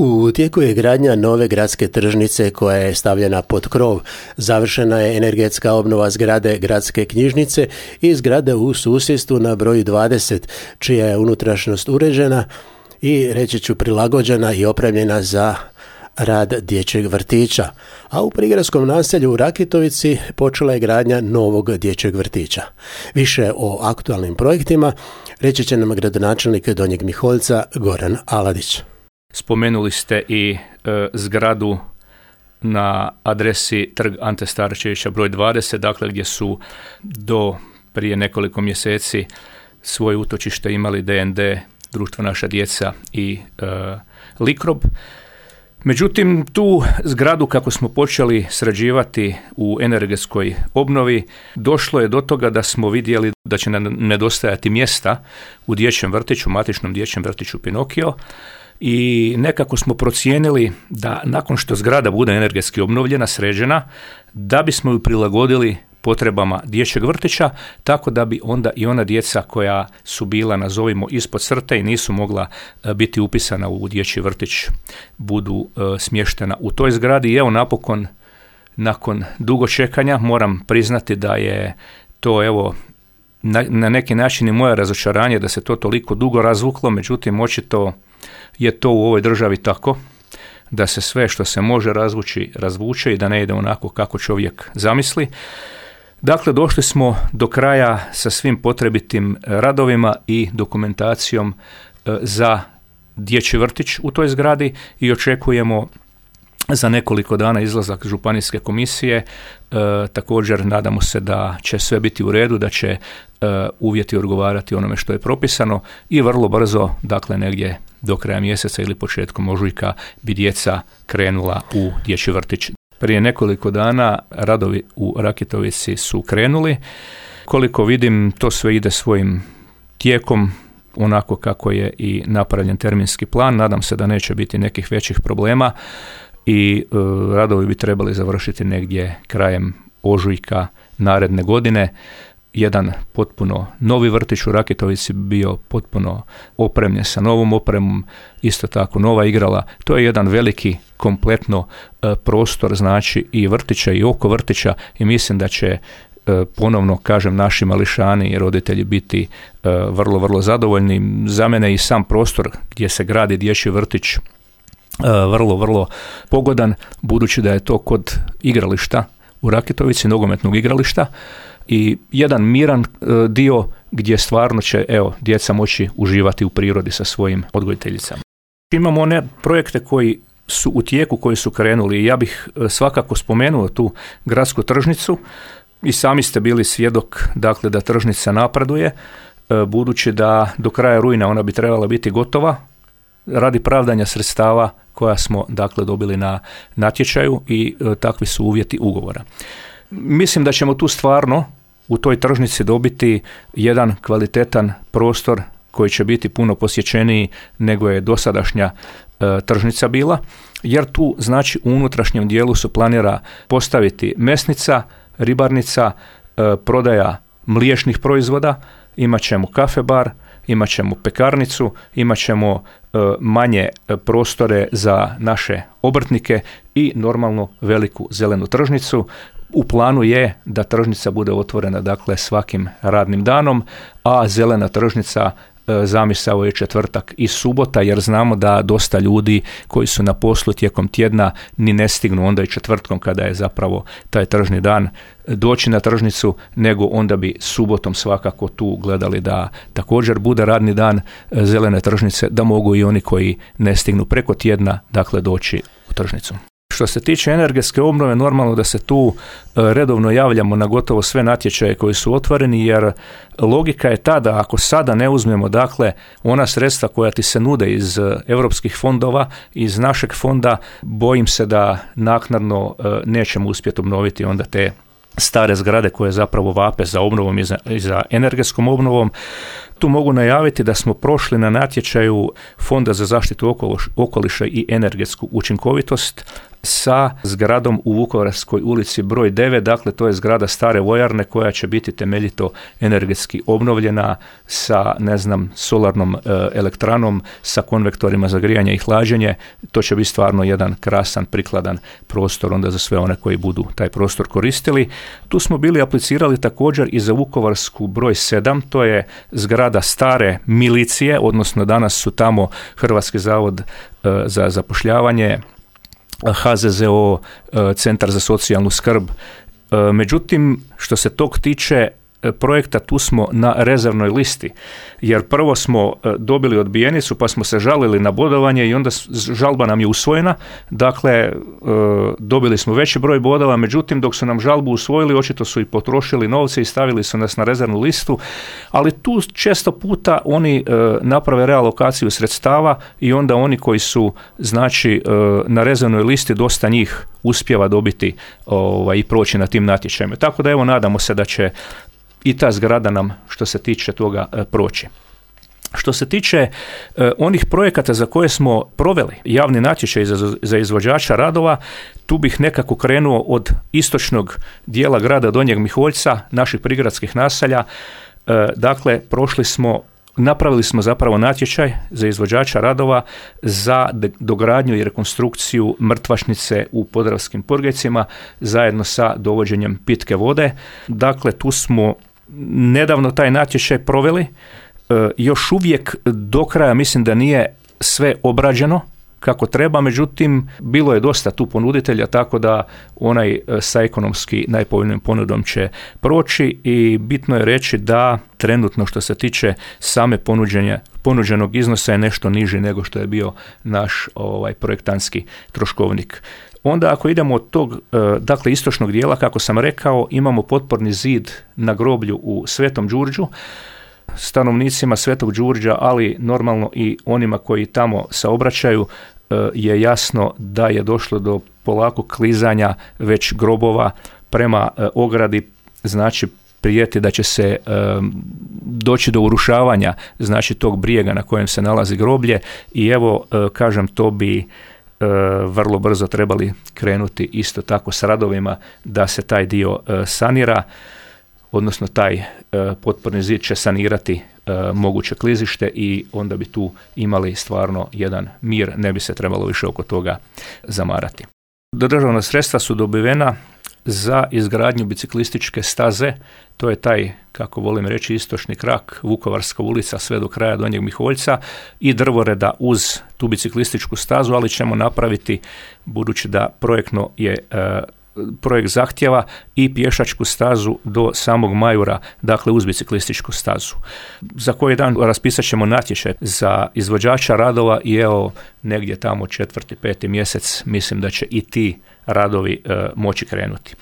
U tijeku je gradnja nove gradske tržnice koja je stavljena pod krov. Završena je energetska obnova zgrade gradske knjižnice i zgrade u susjedstvu na broju 20, čija je unutrašnjost uređena i, reći ću, prilagođena i opremljena za rad dječjeg vrtića. A u prigradskom naselju u Rakitovici počela je gradnja novog dječjeg vrtića. Više o aktualnim projektima reći će nam gradonačelnik Donjeg Miholjca Goran Aladić. Spomenuli ste i zgradu na adresi Trg Ante Starčevića broj 20, dakle gdje su do prije nekoliko mjeseci svoje utočište imali DND, Društvo Naša djeca i Likrob. Međutim, tu zgradu kako smo počeli sređivati u energetskoj obnovi, došlo je do toga da smo vidjeli da će nam nedostajati mjesta u dječjem vrtiću, matičnom dječjem vrtiću Pinokio, i nekako smo procijenili da nakon što zgrada bude energetski obnovljena, sređena, da bismo ju prilagodili potrebama dječjeg vrtića, tako da bi onda i ona djeca koja su bila, nazovimo, ispod crte i nisu mogla biti upisana u dječji vrtić, budu smještena u toj zgradi. I evo napokon, nakon dugo čekanja, moram priznati da je to, evo, na neki način i moje razočaranje da se to toliko dugo razvuklo, međutim očito je to u ovoj državi tako da se sve što se može razvuče i da ne ide onako kako čovjek zamisli. Dakle, došli smo do kraja sa svim potrebitim radovima i dokumentacijom za dječji vrtić u toj zgradi i očekujemo za nekoliko dana izlazak županijske komisije. Također nadamo se da će sve biti u redu, da će uvjeti odgovarati onome što je propisano i vrlo brzo, dakle negdje do kraja mjeseca ili početkom ožujka, bi djeca krenula u dječji vrtić. Prije nekoliko dana radovi u Rakitovici su krenuli. Koliko vidim, to sve ide svojim tijekom, onako kako je i napravljen terminski plan. Nadam se da neće biti nekih većih problema i radovi bi trebali završiti negdje krajem ožujka naredne godine. Jedan potpuno novi vrtić u Rakitovici bio potpuno opremljen sa novom opremom, isto tako nova igrala. To je jedan veliki kompletno prostor, znači i vrtića i oko vrtića, i mislim da će ponovno, kažem, naši mališani i roditelji biti vrlo, vrlo zadovoljni. Za mene i sam prostor gdje se gradi dječji vrtić vrlo, vrlo pogodan, budući da je to kod igrališta u Rakitovici, nogometnog igrališta, i jedan miran dio gdje stvarno će, evo, djeca moći uživati u prirodi sa svojim odgojiteljicama. Imamo one projekte koji su u tijeku, koji su krenuli, i ja bih svakako spomenuo tu gradsku tržnicu. I sami ste bili svjedok, dakle, da tržnica napreduje, budući da do kraja rujna ona bi trebala biti gotova radi pravdanja sredstava koja smo, dakle, dobili na natječaju, i takvi su uvjeti ugovora. Mislim da ćemo tu stvarno u toj tržnici dobiti jedan kvalitetan prostor koji će biti puno posjećeniji nego je dosadašnja tržnica bila, jer tu, znači, u unutrašnjem dijelu se planira postaviti mesnica, ribarnica, prodaja mliječnih proizvoda, imat ćemo kafe bar, imat ćemo pekarnicu, imat ćemo manje prostore za naše obrtnike i normalno veliku zelenu tržnicu. U planu je da tržnica bude otvorena, dakle, svakim radnim danom, a zelena tržnica zamisao je četvrtak i subota, jer znamo da dosta ljudi koji su na poslu tijekom tjedna ni ne stignu onda i četvrtkom, kada je zapravo taj tržni dan, doći na tržnicu, nego onda bi subotom svakako tu gledali da također bude radni dan zelene tržnice, da mogu i oni koji ne stignu preko tjedna, dakle, doći u tržnicu. Što se tiče energetske obnove, normalno da se tu redovno javljamo na gotovo sve natječaje koji su otvoreni, jer logika je ta da ako sada ne uzmemo, dakle, ona sredstva koja ti se nude iz europskih fondova, iz našeg fonda, bojim se da naknadno nećemo uspjeti obnoviti onda te stare zgrade koje zapravo vape za obnovom i za energetskom obnovom. Tu mogu najaviti da smo prošli na natječaju Fonda za zaštitu okoliša i energetsku učinkovitost sa zgradom u Vukovarskoj ulici broj 9, dakle to je zgrada stare vojarne koja će biti temeljito energetski obnovljena sa, solarnom elektranom, sa konvektorima za grijanje i hlađenje. To će biti stvarno jedan krasan, prikladan prostor onda za sve one koji budu taj prostor koristili. Tu smo bili aplicirali također i za Vukovarsku broj 7, to je zgrada stare milicije, odnosno danas su tamo Hrvatski zavod za zapošljavanje, HZZO, Centar za socijalnu skrb. Međutim, što se tog tiče projekta, tu smo na rezervnoj listi, jer prvo smo dobili odbijenicu pa smo se žalili na bodovanje i onda žalba nam je usvojena, dakle dobili smo veći broj bodova, međutim dok su nam žalbu usvojili očito su i potrošili novce i stavili su nas na rezervnu listu, ali tu često puta oni naprave realokaciju sredstava i onda oni koji su na rezervnoj listi, dosta njih uspijeva dobiti i proći na tim natječajima. Tako da evo nadamo se da će i ta zgrada nam što se tiče toga proći. Što se tiče onih projekata za koje smo proveli javni natječaj za izvođača radova, tu bih nekako krenuo od istočnog dijela grada Donjeg Miholjca, naših prigradskih naselja. Dakle, napravili smo zapravo natječaj za izvođača radova za dogradnju i rekonstrukciju mrtvačnice u Podravskim Podgajcima zajedno sa dovođenjem pitke vode. Dakle, tu smo nedavno taj natječaj proveli. Još uvijek do kraja mislim da nije sve obrađeno kako treba, međutim bilo je dosta tu ponuditelja, tako da onaj sa ekonomski najpovoljnijom ponudom će proći i bitno je reći da trenutno što se tiče same ponuđenog iznosa je nešto niži nego što je bio naš projektantski troškovnik. Onda ako idemo od tog, dakle istočnog dijela, kako sam rekao, imamo potporni zid na groblju u Svetom Đurđu. Stanovnicima Svetog Đurđa, ali normalno i onima koji tamo saobraćaju, je jasno da je došlo do polako klizanja već grobova prema ogradi, znači prijeti da će se doći do urušavanja tog brijega na kojem se nalazi groblje i evo kažem to bi vrlo brzo trebali krenuti isto tako s radovima da se taj dio sanira, odnosno taj potporni zid će sanirati moguće klizište i onda bi tu imali stvarno jedan mir, ne bi se trebalo više oko toga zamarati. Državna sredstva su dobivena za izgradnju biciklističke staze, to je taj, kako volim reći, istočni krak, Vukovarska ulica sve do kraja Donjeg Miholjca i drvoreda uz tu biciklističku stazu, ali ćemo napraviti, budući da projekt zahtjeva i pješačku stazu do samog Majura, dakle uz biciklističku stazu. Za koji dan raspisat ćemo natječaj za izvođača radova i evo negdje tamo 4. 5. mjesec mislim da će i ti radovi moći krenuti.